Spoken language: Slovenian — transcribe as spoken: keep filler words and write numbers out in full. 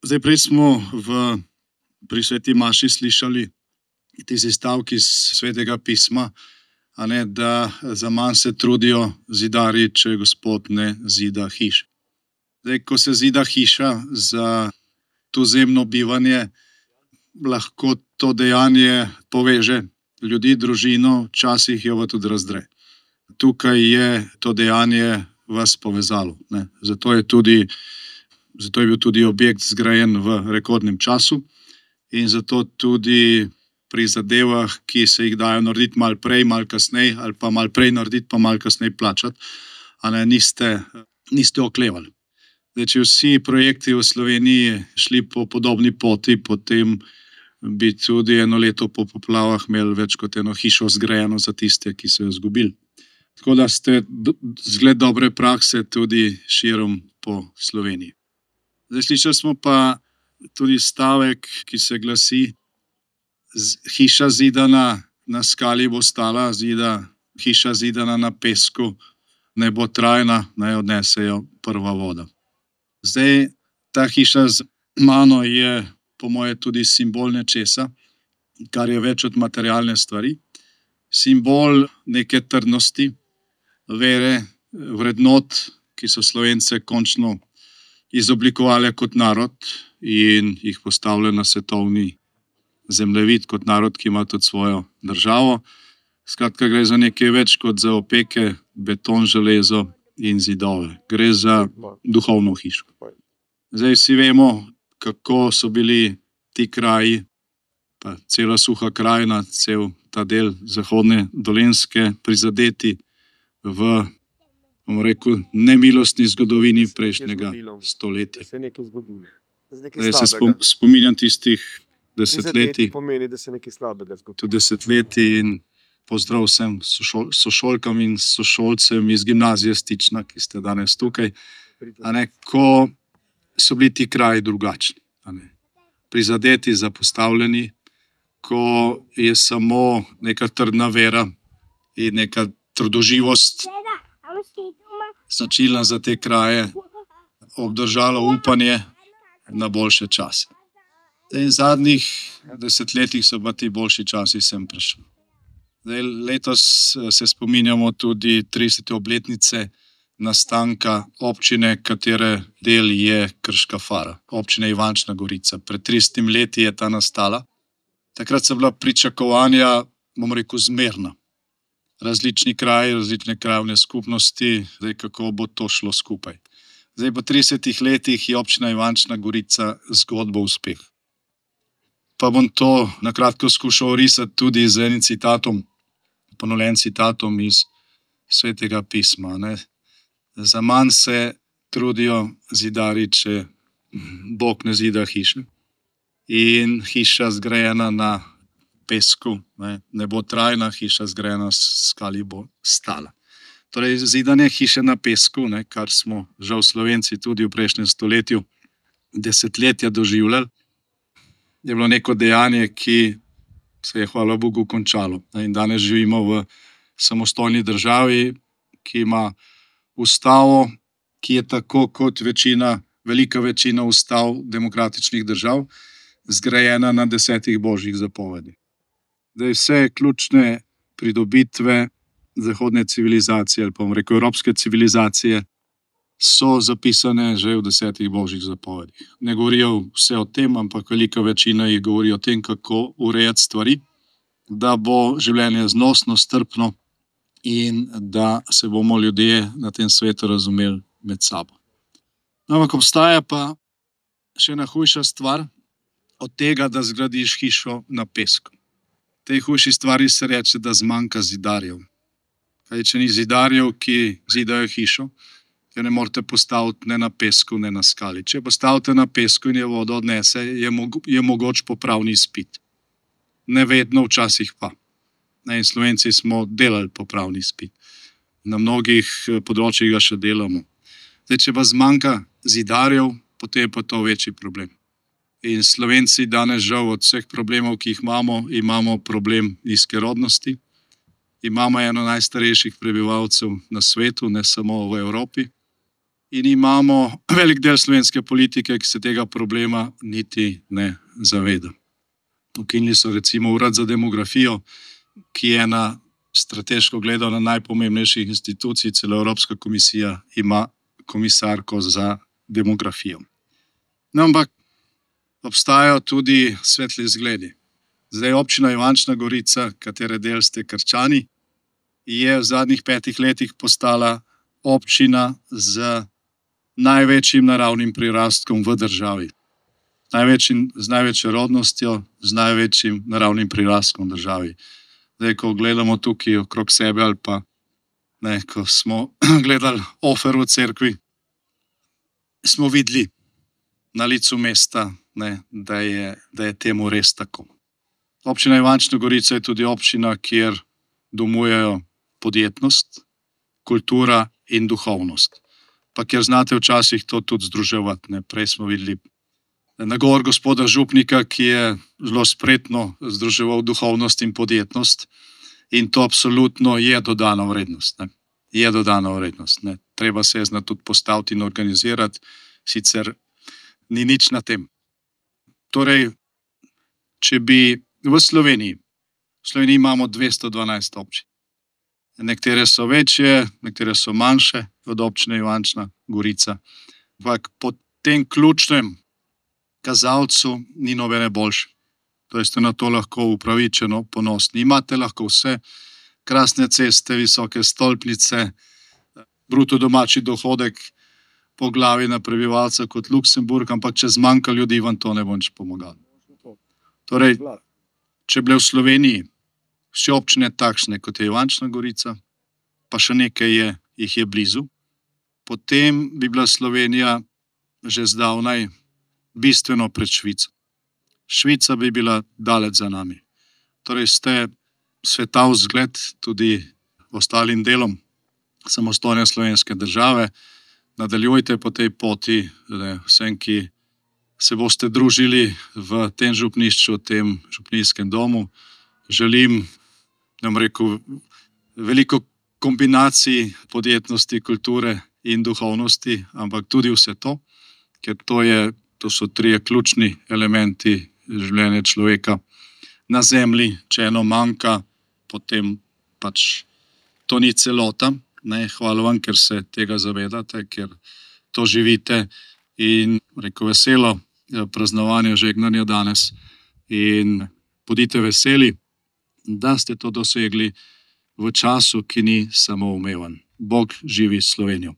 Zdaj, prej smo v, pri sveti maši slišali tisti stavki iz svetega pisma, a ne, da za manj se trudijo zidarji, če Gospod ne zida hiš. Zdaj, ko se zida hiša za tuzemno bivanje, lahko to dejanje poveže ljudi, družino, včasih jo pa tudi razdre. Tukaj je to dejanje vas povezalo, ne. Zato je tudi, zato je bil tudi objekt zgrajen v rekordnem času in zato tudi pri zadevah, ki se jih dajo narediti malo prej, malo kasneje, ali pa malo prej narediti, pa malo kasneje plačati, a ne, niste, niste oklevali. Zdaj, če vsi projekti v Sloveniji šli po podobni poti, potem bi tudi eno leto po poplavah imeli več kot eno hišo zgrajeno za tiste, ki so jo izgubili. Tako da ste zgled dobre prakse tudi širom po Sloveniji. Zdaj, slišali smo pa tudi stavek, ki se glasi: hiša zidana na skali bo stala, zida, hiša zidana na pesku ne bo trajna, naj odnesejo prva voda. Zdaj, ta hiša z mano je po moje tudi simbol nečesa, kar je več od materialne stvari. Simbol neke trdnosti, vere, vrednot, ki so Slovence končno izoblikovale kot narod in jih postavile na svetovni zemljevid kot narod, ki ima tudi svojo državo. Skratka, gre za nekaj več kot za opeke, beton, železo in zidove. Gre za duhovno hišo. Zdaj vsi vemo, kako so bili ti kraji, pa cela Suha krajina, cel ta del zahodne Dolenjske prizadeti v, bomo rekel, nemilostni zgodovini prejšnjega stoletja. Zdaj se spom, spominjam tistih desetletij, tudi desetletij in pozdrav vsem sošol, sošolkam in sošolcem iz gimnazije Stična, ki ste danes tukaj, a ne, ko so bili ti kraji drugačni, a ne, prizadeti, zapostavljeni, ko je samo neka trdna vera in neka trdoživost značilna za te kraje obdržalo upanje na boljše čase. V zadnjih desetletjih so pa ti boljši časi sem prišli. Zdaj, letos se spominjamo tudi tridesete obletnice nastanka občine, katere del je Krška Fara, občine Ivančna Gorica. Pred tridesetimi leti je ta nastala. Takrat so bila pričakovanja, bom rekel, zmerna. Različni kraji, različne krajevne skupnosti, zdaj kako bo to šlo skupaj. Zdaj, po tridesetih letih je občina Ivančna Gorica zgodba uspeh. Pa bom to na kratko skušal risati tudi z enim citatom, ponovljen citatom iz svetega pisma, ne. Za manj se trudijo zidarji, če Bog ne zida hiše. In hiša zgrajena na pesku, ne, ne bo trajna, hiša zgrajena na skali bo stala. Torej, zidanje hiše na pesku, ne, kar smo žal Slovenci tudi v prejšnjem stoletju desetletja doživljali, je bilo neko dejanje, ki se je, hvala Bogu, končalo. In danes živimo v samostojni državi, ki ima ustavo, ki je tako kot večina, velika večina ustav demokratičnih držav, zgrajena na desetih božjih zapovedih. Zdaj, vse ključne pridobitve zahodne civilizacije, ali pa bom rekel evropske civilizacije, so zapisane že v desetih božjih zapovedih. Ne govorijo vse o tem, ampak velika večina jih govori o tem, kako urejati stvari, da bo življenje znosno, strpno in da se bomo ljudje na tem svetu razumeli med sabo. Ampak obstaja pa še ena hujša stvar od tega, da zgradiš hišo na pesku. Tej hujši stvari se reče, da zmanjka zidarjev. Kaj, če ni zidarjev, ki zidajo hišo, ker ne morete postaviti ne na pesku, ne na skali. Če postavite na pesku in je vodo odnese, je, mogo, je mogoč popravni izpit. Ne vedno, včasih pa. In Slovenci smo delali popravni izpit. Na mnogih področjih ga še delamo. Zdaj, če pa zmanjka zidarjev, potem je pa to večji problem. In Slovenci danes žal od vseh problemov, ki jih imamo, imamo problem nizke rodnosti. Imamo eno najstarejših prebivalcev na svetu, ne samo v Evropi. in imamo velik del slovenske politike, ki se tega problema niti ne zaveda. Ukinili so recimo Urad za demografijo, ki je ena strateško gledano najpomembnejših institucij, celo Evropska komisija ima komisarko za demografijo. No, ampak obstajajo tudi svetli zgledi. Zdaj občina Ivančna Gorica, katere del ste Krčani, je v zadnjih petih letih postala občina z največjim naravnim prirastkom v državi. Največjim, z največjo rodnostjo, z največjim naravnim prirastkom v državi. Zdaj, ko gledamo tukaj okrog sebe ali pa ne, ko smo gledali ofer v cerkvi, smo videli na licu mesta, ne, da je, da je temu res tako. Občina Ivančna Gorica je tudi občina, kjer domujejo podjetnost, kultura in duhovnost. Pa kjer znate včasih to tudi združevati. Ne. Prej smo videli nagovor gospoda župnika, ki je zelo spretno združeval duhovnost in podjetnost, in to absolutno je dodana vrednost. Ne. Je dodana vrednost. Ne. Treba se je znati tudi postaviti in organizirati, sicer ni nič na tem. Torej, če bi v Sloveniji, v Sloveniji imamo dvesto dvanajst občin. Nekatere so večje, nekatere so manjše od občine Ivančna Gorica. Ampak po tem ključnem kazalcu ni nobene boljše. To ste na to lahko upravičeno ponosni. Imate lahko vse, krasne ceste, visoke stolpnice, bruto domači dohodek po glavi na prebivalca kot Luksemburg, ampak če zmanjka ljudi, vam to ne bo nič pomagalo. Torej, če bile v Sloveniji vse občine takšne, kot je Ivančna Gorica, pa še nekaj je, jih je blizu, potem bi bila Slovenija že zdavnaj bistveno pred Švico. Švica bi bila daleč za nami. Torej ste sveta vzgled tudi ostalim delom samostojne slovenske države. Nadaljujte po tej poti, ne, vsem, ki se boste družili v tem župnišču, v tem župnijskem domu. Želim, ne bom rekel, veliko kombinacij podjetnosti, kulture in duhovnosti, ampak tudi vse to, ker to, je, to so trije ključni elementi življenja človeka na zemlji. Če eno manjka, potem pač to ni celota. Ne, hvala vam, ker se tega zavedate, ker to živite, in rekel veselo praznovanje žegnanja danes in bodite veseli, da ste to dosegli v času, ki ni samoumeven. Bog živi Slovenijo.